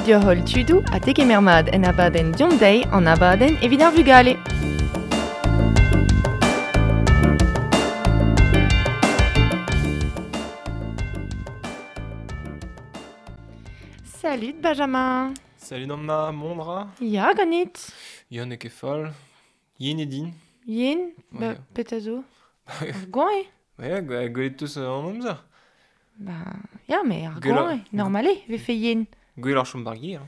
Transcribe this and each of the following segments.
deoc'h holl tudoù ha tegemer mat en abadenn Deomp Dezhi, an abadenn evit ar vugale. Salut Benjamin. Salut Anna, mont ra? Ya, ganit. Ya, n'eo ket fall. Yen eo din. Yen? Ba, petra zo? Ar goañv eo? Ba ya, gwelet 'teus an amzer. Ba, ya, mais ar goañv eo. Normal eo, vefe yen. Gwelloc'h chom bar gêr.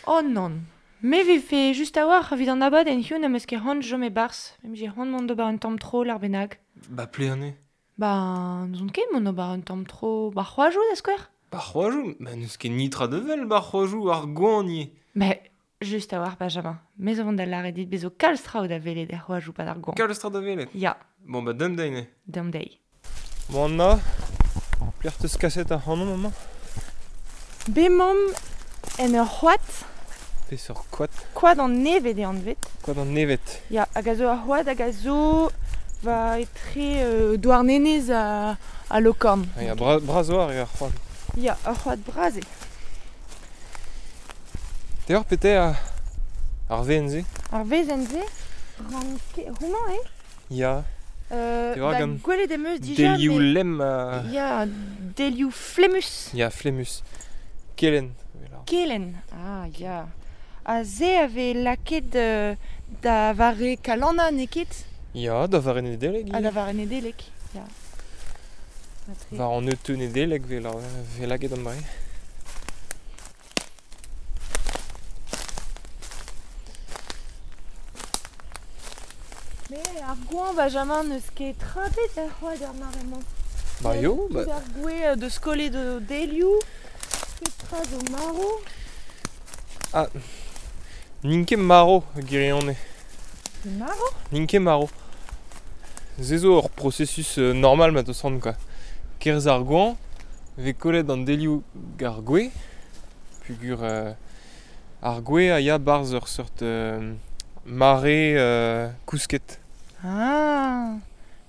Oh nann. Me vefe just a-walc'h evit an abadenn hiziv n'am eus ket c'hoant chom e-barzh. Em bije c'hoant mont d'ober un tamm tro lar bennak. Ba plean eo. Ba, n'ouzon ket mont d'ober un tamm tro bar c'hoajoù da skouer. Bar c'hoajoù? Ma n'eus ket nitra da wel bar c'hoajoù ar goañv ivez. Mais just a-walc'h Benjamin. Me zo vont da lâret dit bezo kalz traoù da welet er c'hoajoù pad ar goañv. Kalz traoù da welet? Ya. Bon ba deomp dezhi neuze. Deomp dezhi. Bon Anna, pelec'h 'teus kaset ac'hanomp amañ? Bemaomp en ur c'hoad. Peseurt koad? Koad an Neved eo anvet. Koad an Neved. Ya, hag a zo ur c'hoad hag a zo va etre euh, Douarnenez ha, ha Lokorn. Ah ya, bra bras eo ar c'hoad. Ya, ur c'hoad bras eo. Te oar pete ar, ar wezenn-se? Ar wezenn-se? Ranke... Homañ eo? Ya. Euh, Te oar ba, gant gwelet em eus dija, delioù mais... lemm ha... Ya, delioù flemmus. Ya, flemmus. Kelenn. Kelenn, ah ya. Ha se a vez lakaet euh, da vare Kalanna, n'eo ket? Ya, da vare Nedeleg Ah, da ivez. vare Nedeleg, ya. Matre. War an euteu Nedeleg 'vel 'vel lakaet an dra-se. Mais ar goañv, Benjamin, n'eus ket trapet er c'hoad er mare-mañ. Ba yo, ba... Tout ar gouez euh, deus kollet o delioù, petra zo marv. Ah, n'int ket marv, gwirionez. Marv? N'int ket marv. Se zo ur processus euh, normal ma teus c'hoant quoi. Kerzh ar goañv, 'vez kollet an delioù g'ar gwez, pugur euh, ar gwez a ya 'barzh ur seurt euh, mare euh, kousket. Ah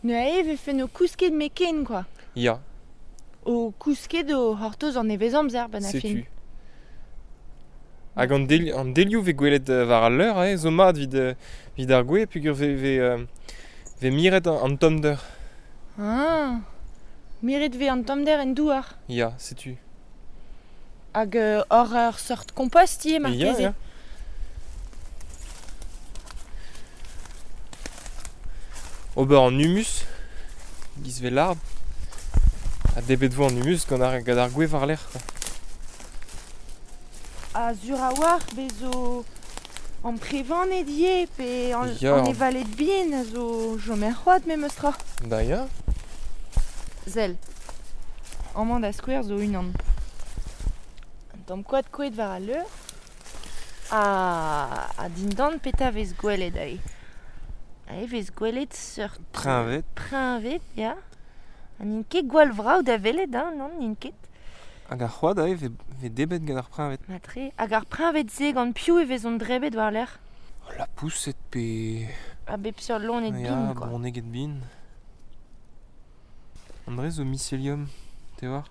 Neuze e vefe no kousket meken quoi. Ya, O kousket o c'hortoz an nevezamzer 'benn ar fin. setu. Hag an, del an delioù 'vez gwelet euh, war al leur eh, zo mat evit, euh, evit ar gwez pugur 'vez, 'vez, euh, 'vez miret an, an tommder. Ah Miret 'vez an tommder en douar. Ya, setu. Hag euh, hor ur seurt kompost ivez Ya, marteze. ya. Ober an humus, giz 'vez lard. Ha debret 'vo an humus gant ar, gant ar gwez war-lerc'h quoi. Ha sur a-walc'h bez zo amprevaned ivez pe an, Ya. an evaled bihan a zo chom er c'hoad memes tra. Da ya. Sell. Amañ da skouer zo unan. Un tamm koad kouezhet war al leur. Ha, ha dindan petra 'vez gwelet aze? Aze 'vez gwelet seurt Preñved. preñved, ya. Ha n'int ket gwall vrav da welet, hein, non, n'int ket. Hag ar c'hoad aze 'vez, 'vez debret gant ar preñved. Matre. Hag ar preñved-se gant piv e vezont drebet war-lerc'h? Lapoused pe... A bep seurt loened Ya, bihan, quoi. bronneged bihan. André zo mycélium, te oar?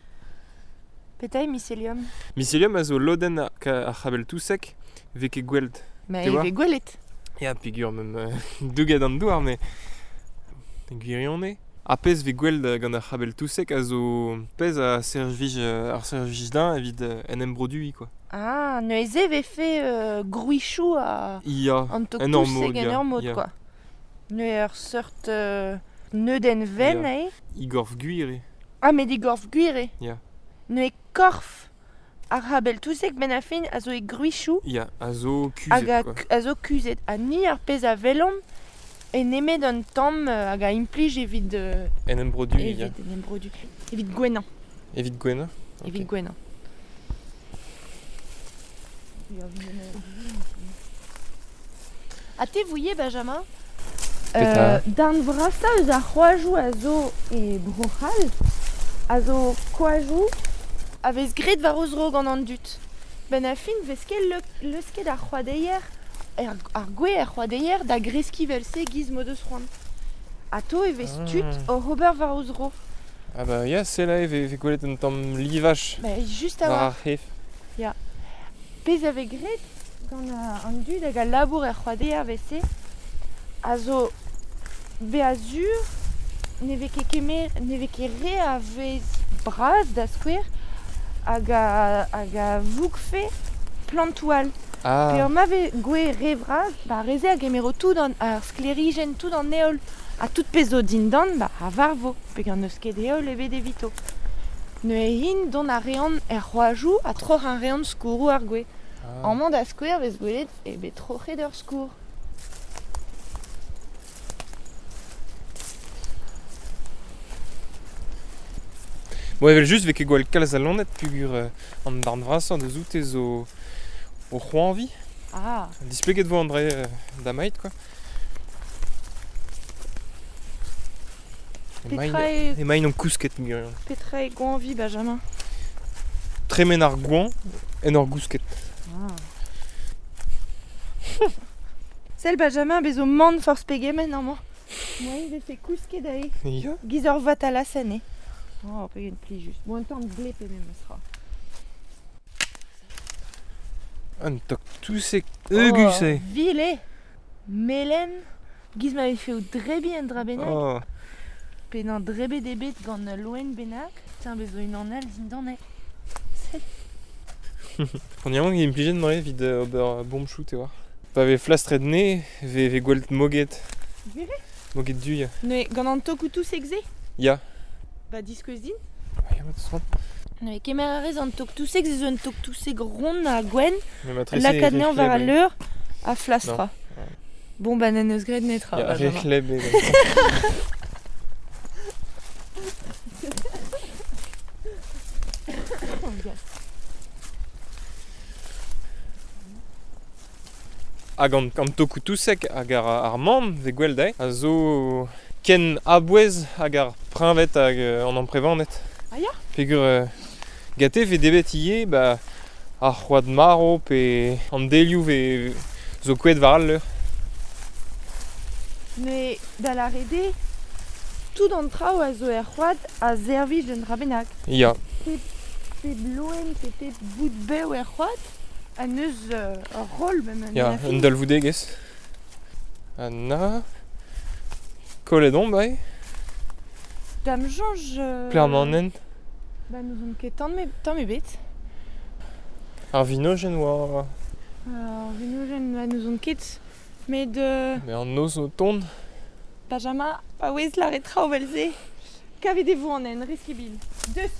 Petra eo mycélium? Mycélium a zo lodenn ar, ar c'habell touseg 'vez ket gwelet. Ma Te e oar? vez gwelet. Ya, peogwir mem euh, douget an douar, mais gwirionez. Ar pezh 'vez gwelet euh, gant ar c'habell touseg a zo pezh a servij euh, ar servij din evit euh, en em produiñ quoi. Ah, neuze e vefe euh, gwrichoù a Ya, an tok en ur touseg mod, en ya, ur mod, ya. quoi. Neuze ur seurt euh, neudenn wenn Ya. aze. Igorf gwir eo. Ah, met digorf gwir eo. Ya. Neuze korf ar c'habell touseg benn ar fin a zo e gwrichoù Ya, a zo hag kuzhet a, quoi. a zo kuzhet. Ha ni ar pezh a welomp e nemet un tamm euh, hag a implij evit, euh, En em produiñ, ya. evit en em produ. Evit gouennañ. Evit gouennañ. Ok. Evit gouennañ. Ha te vouie, Benjamin? Petra? Euh, darn vrasañ eus ar c'hoajoù a zo e Bro-C'hall a zo koajoù a vez graet war o zro gant an dud. Ben ar fin 'vez ket le- leusket ar c'hoadeier, er, ar gwez er c'hoadeier da greskiñ vel-se giz m'o deus c'hoant. Atao e vez tud Ah. oc'h ober war o zro. Ah bah ya, c'est là e vez, 'vez gwelet un tamm livaj Ba, just war a-walc'h. ar c'hef. Ya. Pezh a vez graet gant an dud hag al labour er c'hoadeier 'vel-se a zo bezañ sur ne vez ket kemer ne vez ket re a wez bras da skouer hag a hag a vougfe plantoù all. Ah. Peogwir ma vez gwez re vras, ba ar re-se a gemero tout an ar sklêrijenn, tout an heol ha tout pezh zo dindan ba a varvo peogwir n'eus ket heol ebet evito. Neuze int dont a reont er c'hoajoù ha troc'hañ a reont skourroù ar gwez. Ah. Amañ da skouer 'vez gwelet eo bet troc'het ur skourr. Bon evel-just 'vez ket gwall kalz a loened peogwir an darn vrasañ deus oute zo o c'hoañviñ. Ah. Displeget 'vo an dra-se damaet quoi. Petra eo Emaint o kousket gwirion. Petra eo goañviñ Benjamin? Tremen ar goañv en ur gousket. Ah. Sell Benjamin bez zo mann forzh pegement amañ. Moaien 'vefe kousket aze. Ya. Giz ur vatalasenn eo. Oh, pegen plijus. Bon, un tamm gleb eo memestra. Un tok touseg heugus eo. Oh, vil eo. Melen. Giz ma vefe o drebiñ un dra bennak. Oh. Pe n'an drebet eo bet gant ul loen bennak. Tiens, bez zo unan all dindan eo. Sell. On yaouank implijet neuze evit ober bomchoù te oar. Pa vez flastret 'ne, vez vez gwellt moged. Gwir eo? Moged du ya. Neuze, gant an tokoù touseg-se? Ya. Ba diskouez din. Ya, ma teus c'hoant. Neuze, kemer a rez an tok-touseg, se zo un tok-touseg ront ha gwenn. Mais ma trese Lakaat anezhañ war re al c'hleb leur ha flastrañ. Non. Bon, bah n'en eus graet netra. Ya, re Benjamin. c'hleb eo. Hag an, an tokoù touseg hag ar, ar mann vez gwell dezhe a zo ken a-bouez hag ar preñved hag an amprevaned. Ah ya? Peogwir gante 'vez debret ivez ba ar c'hoad marv pe an delioù 'vez zo kouezhet war al leur. Mais da lâret eo, tout an traoù a zo er c'hoad a servij d'un dra bennak. Ya. Pep, pep loen pe pep boud bev er c'hoad a neus ur roll même Ya, un dalvoudegezh. Ha na... Kollet omp aze. Da'm soñj... Plermannen. Ba n'ouzon ket tamm tamm ebet. Ar vinojenn oa... Ar vinojenn, ba n'ouzon ket. Met... Mais an noz o tont. Benjamin, paouez lâret traoù evel-se. Kavet e vo an hent, riskibil. Deus.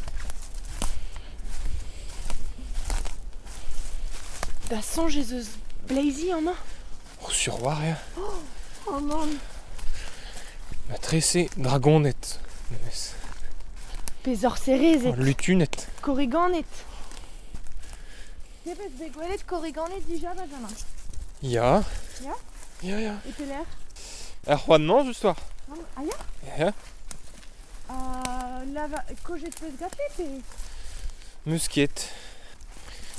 Da soñj ez eus bleizi amañ? Oh, sur war ya. Oh, oh nann. Ma trese dragoned memes. Pe sorserezed. Oh, lutuned. Korriganed. Te 'peus bet gwelet korriganed dija, Benjamin? Ya. Ya? Ya, ya. E pelec'h? Er c'hoad-mañ, just war. Ah ya? Ya. Ha lava kojet 'peus gante pe? Meus ket.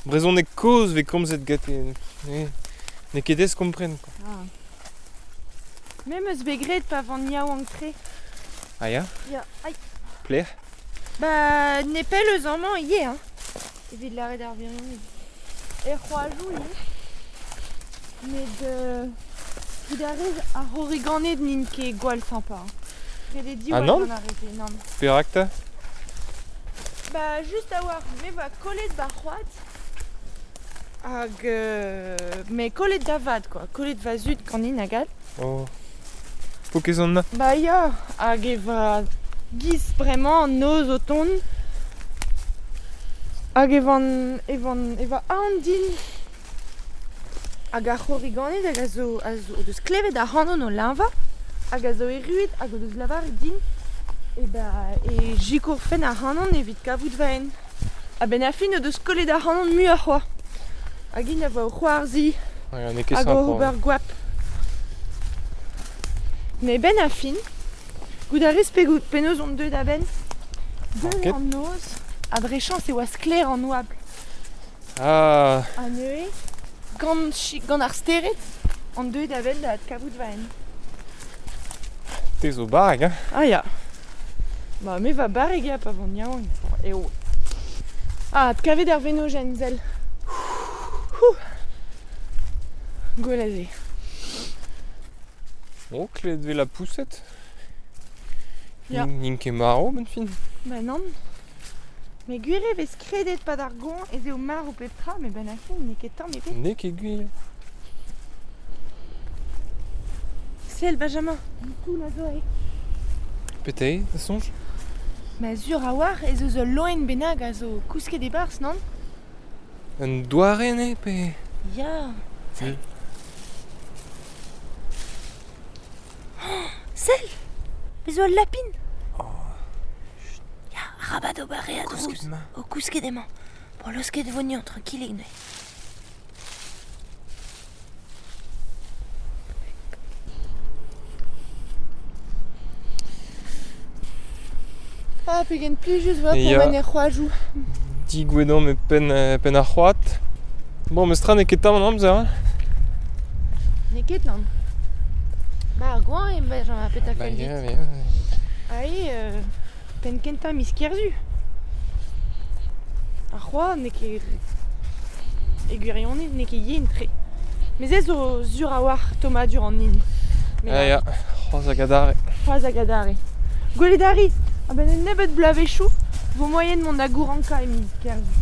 Brezhoneg kozh 'vez komzet gante. Ne, n'eo ket aes kompren quoi. Ah. Me 'm eus bet graet pa van yaouank-tre. Ah ya? Ya, aïe. Pelec'h? Ba nepell eus amañ ivez hein. Evit lâret ar wirionez. Er c'hoajoù ivez. Met goût a rez ar c'horriganed n'int ket gwall sympa. Hein. Ret eo diwall Ah nann? gant ar re-se, nann. Perak 'ta? Ba just a-walc'h, me 'voa kollet ba c'hoad hag me kollet da vat quoi, kollet va zud ganin hag all. Oh. Pokez an na. Ba ya, hag e va giz bremañ an noz o tont. Hag e van, e van, e va aon din. Hag ar c'horriganed hag a zo, a zo, o deus klevet ac'hanon o leñvañ hag a zo erruet hag o deus lavaret din e ba e sikourfen ac'hanon evit kavout va hent. A-benn ar fin o deus kollet ac'hanon muioc'h c'hoazh. Hag int a voa o c'hoarzhiñ Ouais, n'eo ket hag sympa. o ober goap. Mais benn ar fin, goût a rez pegout penaos on deuet a-benn. Deuet Ket. an noz, ha dre chañs e oa sklaer an oabl. Ah, Ha neuze, gant, chi- gant ar stered, on deuet a-benn da adkavout va hent. te zo barrek, hein? Ah ya. Ba me va barrek ya pa van yaouank. Eo. Ah, adkavet ar venojenn, sell. Hou. Gwell a se. Oh, klevet 'vez la poussette. Ya. N'int ket marv, 'benn fin. Ba nann. Met gwir eo 'vez kredet 'pad ar goañv ez eo marv pep tra, met 'benn ar fin n'eo ket tamm ebet. N'eo ket gwir. Sell, Benjamin, un toull a zo aze. Petra eo, da soñj? Ma sur a-walc'h ez eus ul loen bennak a zo kousket e-barzh, nann? Un doare eo pe... Ya. Sell. Sell! Bez zo ul lapin! Ya, arabat ober re a drouz. Kousket emañ. O kousket emañ. Bon, laosket e vo anezhañ, trankilik neuze. Ah, pegen plijus 'oa Ya. pourmen er c'hoajoù. Digouezet omp e penn, penn ar c'hoad. Bon, mestra n'eo ket tamm an amzer, hein. N'eo ket nann. Ba ar goañv eo Benjamin, petra Ba fell dit? ya, ya. Aze, penn kentañ miz Kerzu. Ar c'hoad n'eo ket e gwirionez n'eo ket yen-tre. Met se zo sur a-walc'h tommadur an hin. Met Ah ya, c'hoazh hag adarre. C'hoazh hag adarre. Gwelet a ri, a-benn un nebeud bloavezhioù 'vo moaien mont da gourankañ e miz Kerzu.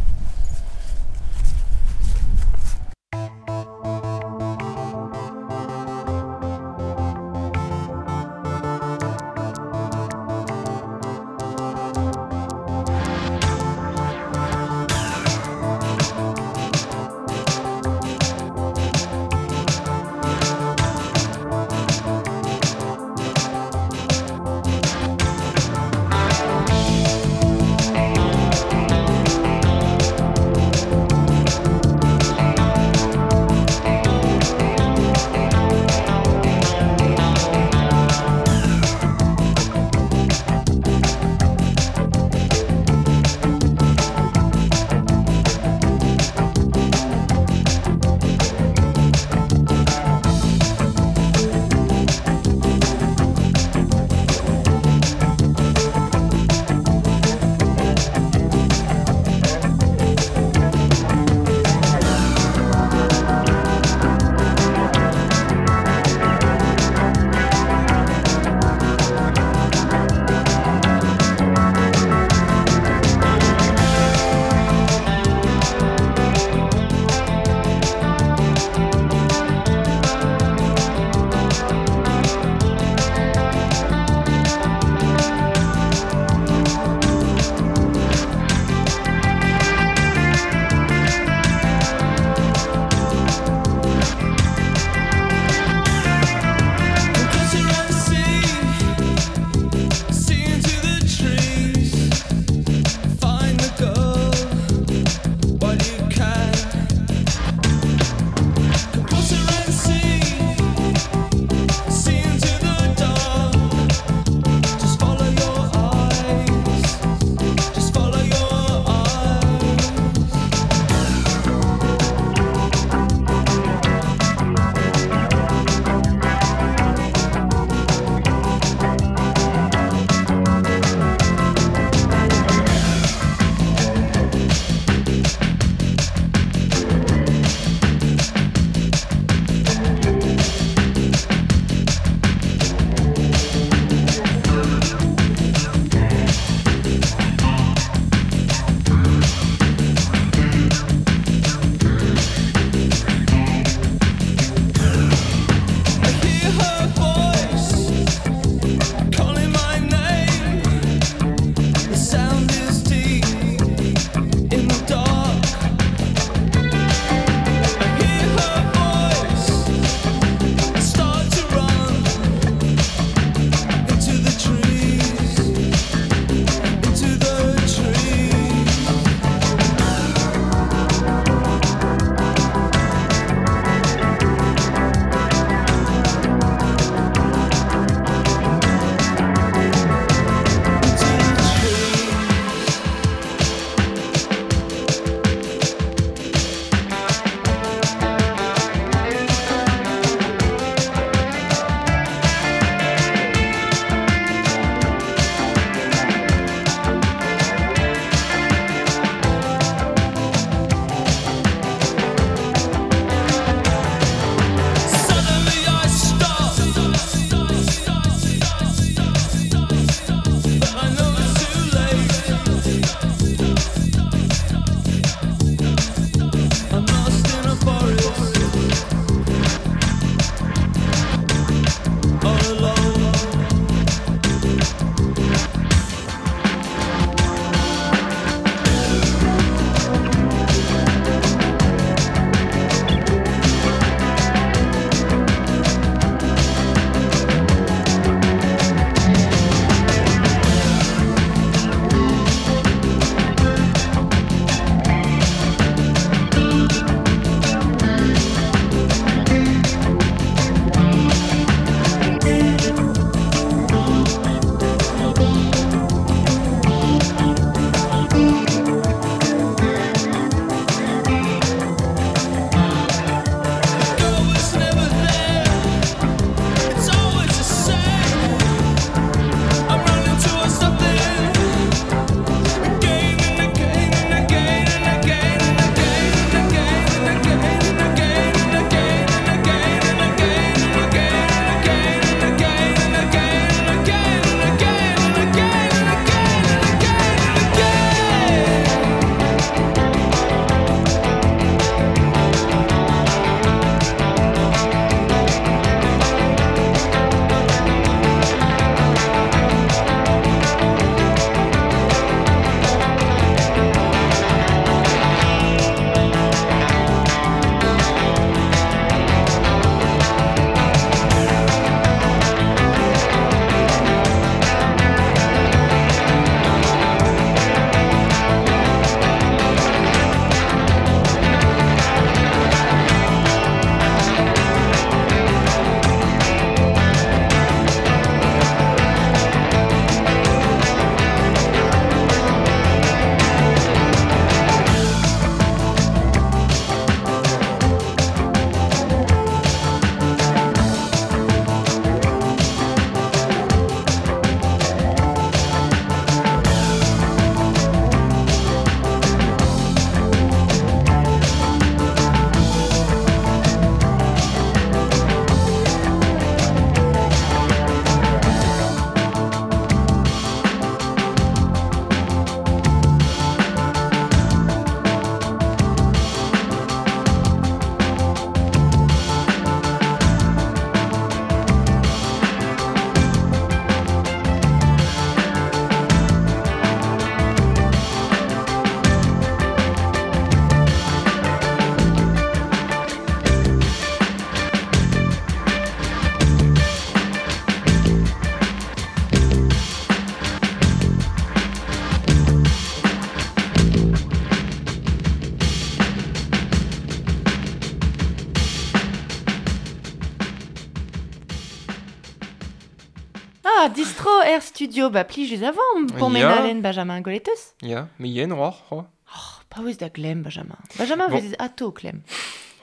distro er studio, ba plijus avant pour Ya. menalen Benjamin Goletus. Ya, me yen oar, c'hoa. Oh, paouez da glem, Benjamin. Benjamin Bon. vez ato klem.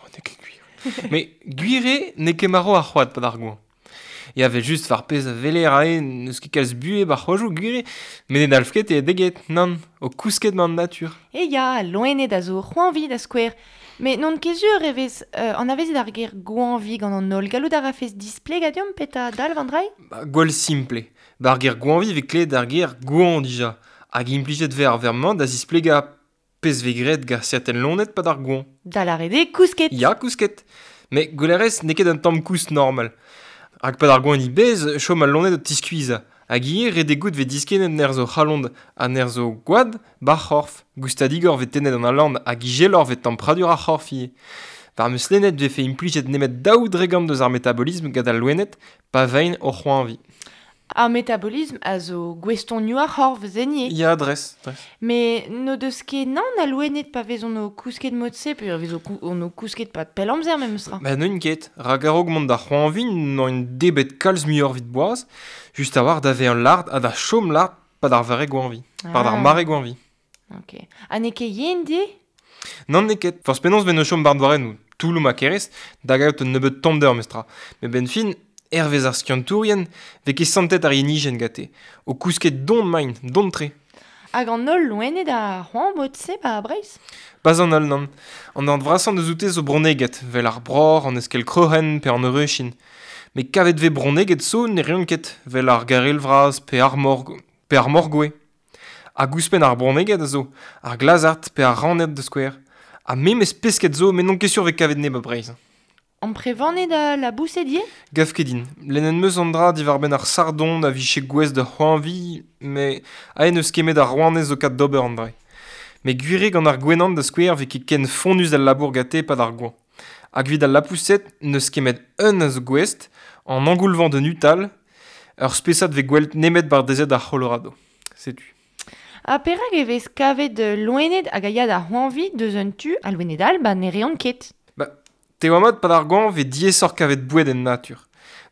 Oh, n'eo ket gwir. Me gwire n'eo ket maro ar c'hoad pad ar goañ. Ya vel just war pezh a veler ae n'eus ket kalz buhe bar c'hoajoù gwire, met ne dalv ket e deget, nann, o kousket man natur. E ya, loened a zo c'hoanvi da skouer. Mais non ket sur e vez an avezet ar ger goanvi gant an holl. Gallout a rafez displeg a deomp peta dalv an drai? Ba, gwall simple. Bar ger goanvi vez klevet ar ger goan dija. Hag implijet vez ar vermañ da zisplegañ pezh vez graet gant serten loened pad ar goan. Da lâret eo kousket. Ya, kousket. Met gwelerez n'eo ket un tamm kousk normal. Hag pad ar goan bez, chom al loened o tiskuizhañ. Hag ivez ret eo goût vez diskennet nerzh o c'halon ha nerzh o gwad bar c'horf. Goustadigor vez tennet an alan hag ijeloc'h vez tempradur ar c'horf ivez. War meus lennet vefe implijet nemet daou dregant deus ar metabolisme gant al loened pa vein o c'hoañvi. Ar metabolisme a zo gouestonioù ar c'horf zenier. Ya, dres, dres. Mais no deus ket nann a loened pa vezont o kousket mod-se, pe vez on o kousket pa pell amzer memes tra. Ba n'on ket, rak a-raok mont da c'hoañvi n'on un debet kalz muioc'h evit boaz, just a-walc'h da vezañ lart ha da chom lart pa d'ar vare goañvi, pa d'ar mare goañvi. Ok. Ha n'eo ket yen di? Nann n'eo ket. Forzh penaos ven o chom bar douarennoù, touloù ma kerez, da gaout un nebeud tommder memes tra. Met benn fin, hervez ar skiantourien, vez ket santet ar yenijenn gante. O kousket don maint, don tre. Hag an holl loened a c'hoant mod-se ba Breizh? Pas an holl, nann. An darn vrasañ deus oute zo bronneged, vel ar broc'h, an eskell kroc'hen pe an heureuchin. Met kavet vez bronneged zo ne reont ket, vel ar garel vras pe ar morg, pe ar morgoe. Hag ouzhpenn ar bronneged a zo, ar glazard pe ar raned da skouer. Ha memes pesked zo, met n'on ket sur vez kavet ne ba Breizh. Amprevaned a laboused ivez? Gav ket din. Lennet 'm eus an dra diwar-benn ar sardon a vije gouest da c'hoañvi, met aet n'eus ket met ar rouanez zo kat d'ober an dra. Met gwir eo gant ar gwenan da skouer vez ket ken fonnus al labour gante pad ar goañv. Hag evit al lapoused n'eus ket met un a zo gouest, an angoulvent de Nuttall, ur spesad vez gwel't nemet bar dezet ar Colorado. Setu. Ha perak e vez kavet loened hag a ya da c'hoañvi deus un tu a loened all ba ne reont ket? Ba, te oa mat pad ar goañv vez diaesoc'h kavet boued en natur.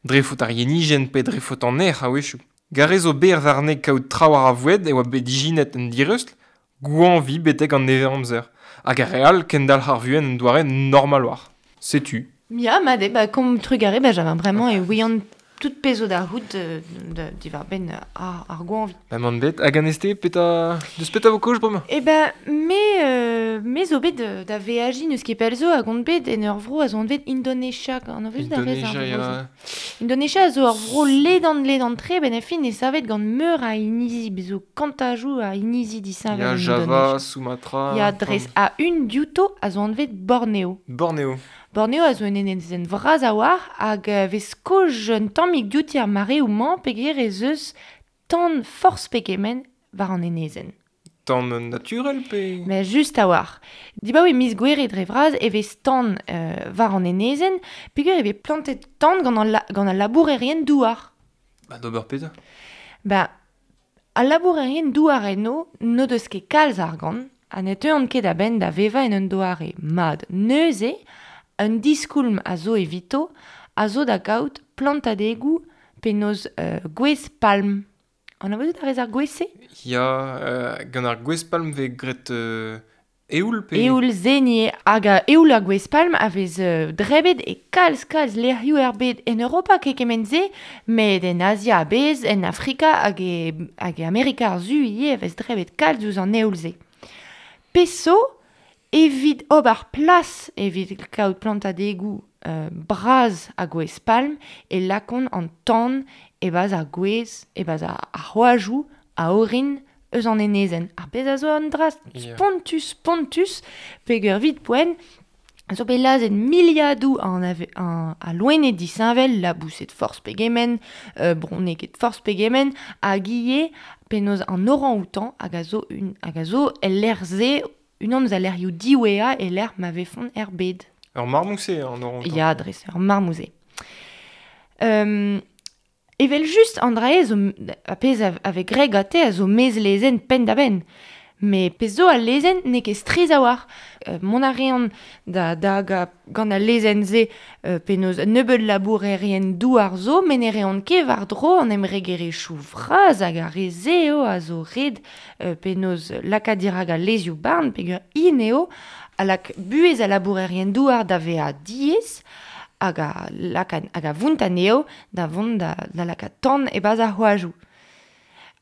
Dre faot ar yenijenn pe dre faot an erc'h a-wechoù. Garez zo berr warne kaout traoù ar a voued e oa bet dijinet en direustl, goañvi betek an nevez-amzer. Hag ar re all kendalc'h ar vuhez en doare normal war. Setu. Ya, mat eo, ba kom trugare, Benjamin, bremañ e ouian tout pezh zo da c'hoût diwar-benn ar goañvi. Ba man bet, hag an este, peta... Deus peta vo kaoz bremañ? Eh ben, me zo bet da veajiñ n'eus ket pell zo hag on bet en ur vro a zo anvet Indonesia, an anavezet a rez ar Indonesia, vro-se. ya. Indonesia a zo ur vro ledan-ledan-tre, ben a fin e savet gant meur a inizi, bez zo kantajoù a inizi disheñvel Ya, en Java, Indonesia. Sumatra, Ya, dres a un diouto a zo anvet Borneo. Borneo. Borneo a zo un enezenn vras a-walc'h hag vez kaoz un tammig diouti ar mareoù-mañ peogwir ez eus tan forzh pegement war an enezenn. Tan naturel pe... Mais just a-walc'h. Dibaoe miz Gouere dre vras e vez tan war an enezenn peogwir e vez plantet tan gant an gant al labourerien douar. Ba d'ober petra? Ba, al labourerien douar eno n'o deus ket kalz argant ha ne teuont ket a-benn da vevañ en un doare mat. Neuze, un diskoulm a zo evito a zo da gaout plantadegoù penaos gwez palm. Anavezout a rez ar gwez-se? Ya, gant ar gwez palm vez graet eoul pe... Eoul zenier hag eoul ar gwez palm a vez drebet e kalz lec'hioù er bed en Europa ket kement-se, met en Azia a-bezh, en Afrika hag e Amerika ar Su ivez a vez drebet kalz ouzh an eoul-se. Peso, evit ober plas evit kaout plantadegoù bras a gwez palm e lakont an tan e-barzh ar gwez, e-barzh ar c'hoajoù a orin eus an enezenn. Ar pezh a zo an dra spontus, peogwir evit poent, zo bet lazhet miliadoù a loened disheñvel, laboused forzh pegement, bronneged forzh pegement, hag ivez penaos an orang-outan hag a zo un, hag a zo el lec'h-se unan eus al lec'hioù diwezhañ e lec'h ma vefont er bed. Ur marmouse, an orang-outan. Ya, dres, ur marmouse. Evel just, an dra-se zo a pezh a vez graet gante a zo mezlezenn penn-da-benn. Me pezh zo al lezenn n'eo ket striz a-walc'h. Mont a reont da dagañ gant al lezenn-se penaos nebeut labourerien douar zo, met ne reont ket war-dro an embregerezhioù vras hag ar re-se eo a zo ret penaos lakaat dirak al lezioù-barn peogwir int eo a lak buhez al labourerien douar da vezañ diaes hag a laka hag a vount anezho da vont da lakaat tan e-barzh ar c'hoajoù.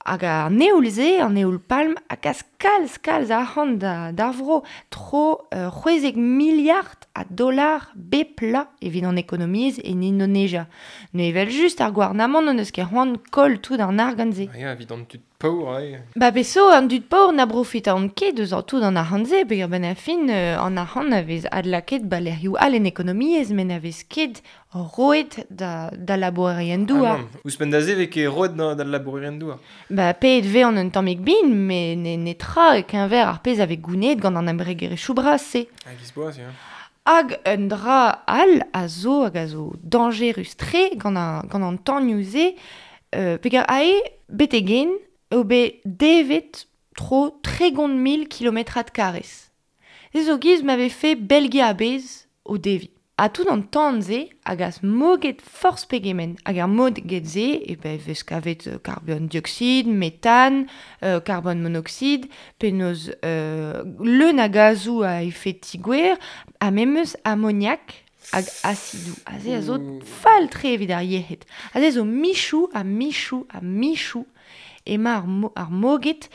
Hag an eoul-se, an eoul-palm, a gas kalz, kalz arc'hant d'ar vro. Tro 16 miliard a dollar bep plat evit an ekonomiezh en Indonesia. Ne evel just ar gouarnamant n'eus ket c'hoant koll tout an argant-se. Ya, evit an tud paour, ae. Ba peso, an dud paour na profitont ket eus an tout an arc'hant-se, peogwir benn ar fin an arc'hant a vez adlakaet ba lec'hioù all en ekonomiezh, met na vez ket roet da labourerien douar. Ah ouzhpenn da se vez ket roet da labourerien douar. Ba paeet vez an un tammig bin, met netra e-keñver ar pezh a vez gounezet gant an embregerezhioù bras-se. Hag izboaz, ya. Hag un dra all a zo hag a zo dañjerus-tre gant an tanioù-se, peogwir ae betek-hen eo bet devet tro 30 000 kilometrad karrez. Se zo giz ma vefe Belgia a-bezh o deviñ. Ha tout an tan-se a gas moged forzh pegement. Hag ar moged-se e vez kavet karbon dioxide, metan, karbon monoxide, penaos leun a gazoù a efed ti-gwer, ha memes amoniak hag asidoù. Aze a zo fall-tre evit ar yec'hed. Aze zo michoù ha michoù ha michoù emañ ar moged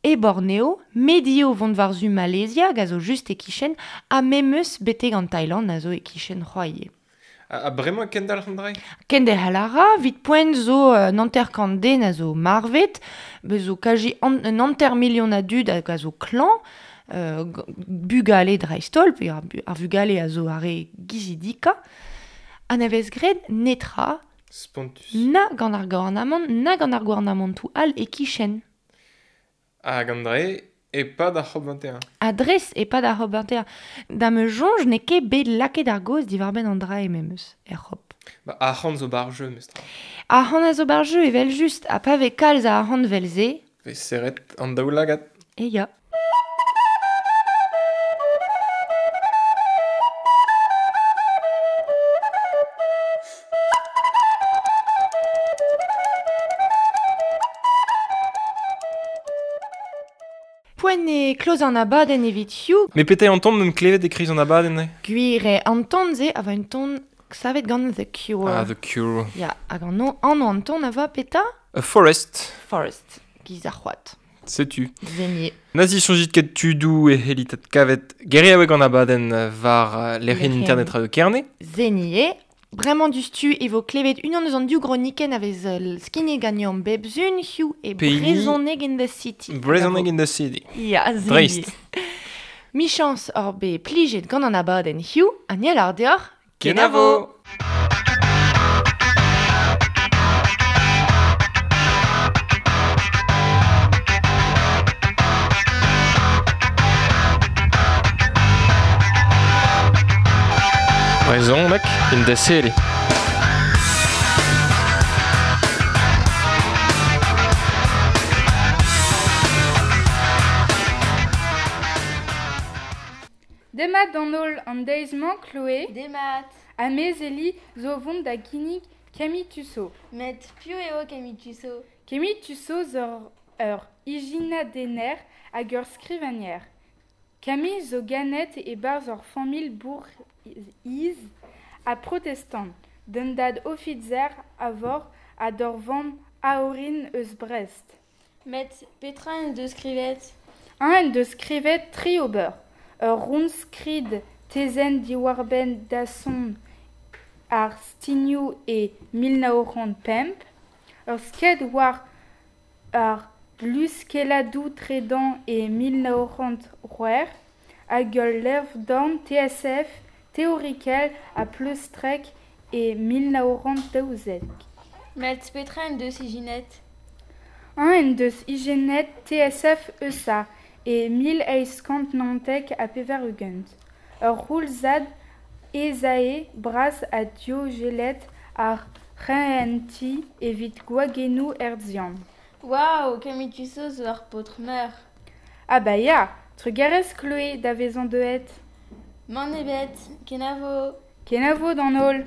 e Borneo, medio vont war-zu Malaysia hag a zo just e-kichen, ha memes betek an Thailand a zo e-kichen c'hoaie. Ha bremañ kendalc'h an dra? Kenderc'hel a ra, 'vit poent zo un hanter-kant den a zo marvet, bez zo kaji un 500 000 a dud hag a zo klañv, bugale dreist-holl, pe ar vugale a zo ar re gizidikañ. Ha ne vez graet netra. Spontus. Na gant ar gouarnamant, na gant ar gouarnamantoù all e-kichen. Hag an dre, e-pad ar COP21. Ha dres e-pad ar COP21. Da ma soñj n'eo ket bet lakaet ar gaoz diwar-benn an dra memes, er COP. Ba arc'hant zo bar jeu, mestra. Arc'hant a zo bar jeu, evel just, ha pa vez kalz a arc'hant vel-se. Vez serret an daoulagad. E ya. Poent e kloz an abadenn evit hiziv. Met petra eo an ton meump klevet e-kreiz an abadenn eo? Gwir eo, an ton-se a va un ton savet gant The Cure. Ah, The Cure. Ya, hag an anv an ton a va petra? A Forest. Forest, giz ar c'hoad. Setu. Zenier. Nazi soñjit ket tudoù e c'hellit adkavet geriaoueg an abadenn war lec'hienn internet Radio Kerne. Zenier. Bremañ diouzhtu e vo klevet unan eus an div gronikenn a vez skignet ganeomp bep sun hiziv e Brezhoneg in the City. Brezhoneg in the City. Ya, Dreist. Michañs hor bet plijet gant an abadenn hiziv, ha ni a lâr deoc'h Kenavo! Brezhoneg in the City. Demat d'an holl an deiz-mañ, Chloé. Demat. Ha mezeli zo vont da ginnig Camille Tussaud. Met piv eo Camille Tussaud? Camille Tussaud zo ur ijinadenner hag ur skrivagner. Camille zo ganet e-barzh ur familh bourc'hiz ha protestant, d'un dad ofiser a vor ha d'ur vamm a-orin eus Brest. Met petra en deus skrivet? Un en deus skrivet tri ober. Ur rounskrid tezenn diwar-benn dasson ar stignoù e 1905, ur sked war ar luskelladoù tredan e 1906, hag ul levr-dorn TSF teorikel ha pleustrek e 1912. Met petra en deus ijinet? Un en deus ijinet TSF EUSA e 1894. Ur c'houlzad esae bras ha diogelet ar c'hehentiñ evit gwagennoù hertzian. Waouh, Camille Tussaud zo ur paotr meur. Ah ba ya, trugarez Chloé da vezañ deuet. Mann ebet, kenavo. Kenavo d'an holl.